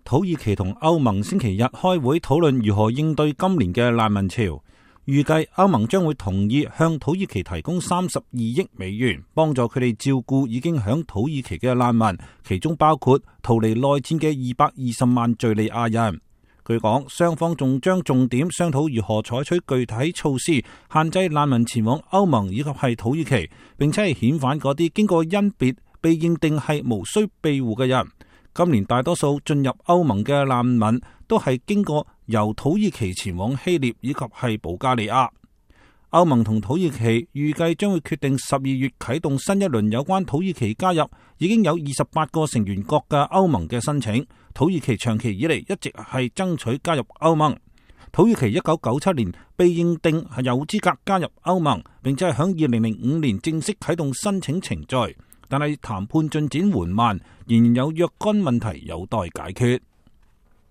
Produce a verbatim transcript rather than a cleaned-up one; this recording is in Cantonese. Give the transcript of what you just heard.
土耳其同歐盟星期日開會討論如何應對今年嘅難民潮，預計歐盟將會同意向土耳其提供三十二億美元，幫助佢哋照顧已經響土耳其嘅難民，其中包括逃離內戰嘅二百二十萬敘利亞人。據講，雙方仲將重點商討如何採取具體措施，限制難民前往歐盟以及係土耳其，並且係遣返嗰啲經過甄別被認定係無需庇護嘅人。今年大多數進入歐盟嘅難民都係經過由土耳其前往希臘以及係保加利亞。歐盟同土耳其預計將會決定十二月啟動新一輪有關土耳其加入已經有二十八個成員國嘅歐盟嘅申請。土耳其長期以嚟一直係爭取加入歐盟。土耳其一九九七年被認定係有資格加入歐盟，並且係響二零零五年正式啟動申請程序，但係談判進展緩慢，仍然有若干問題有待解決。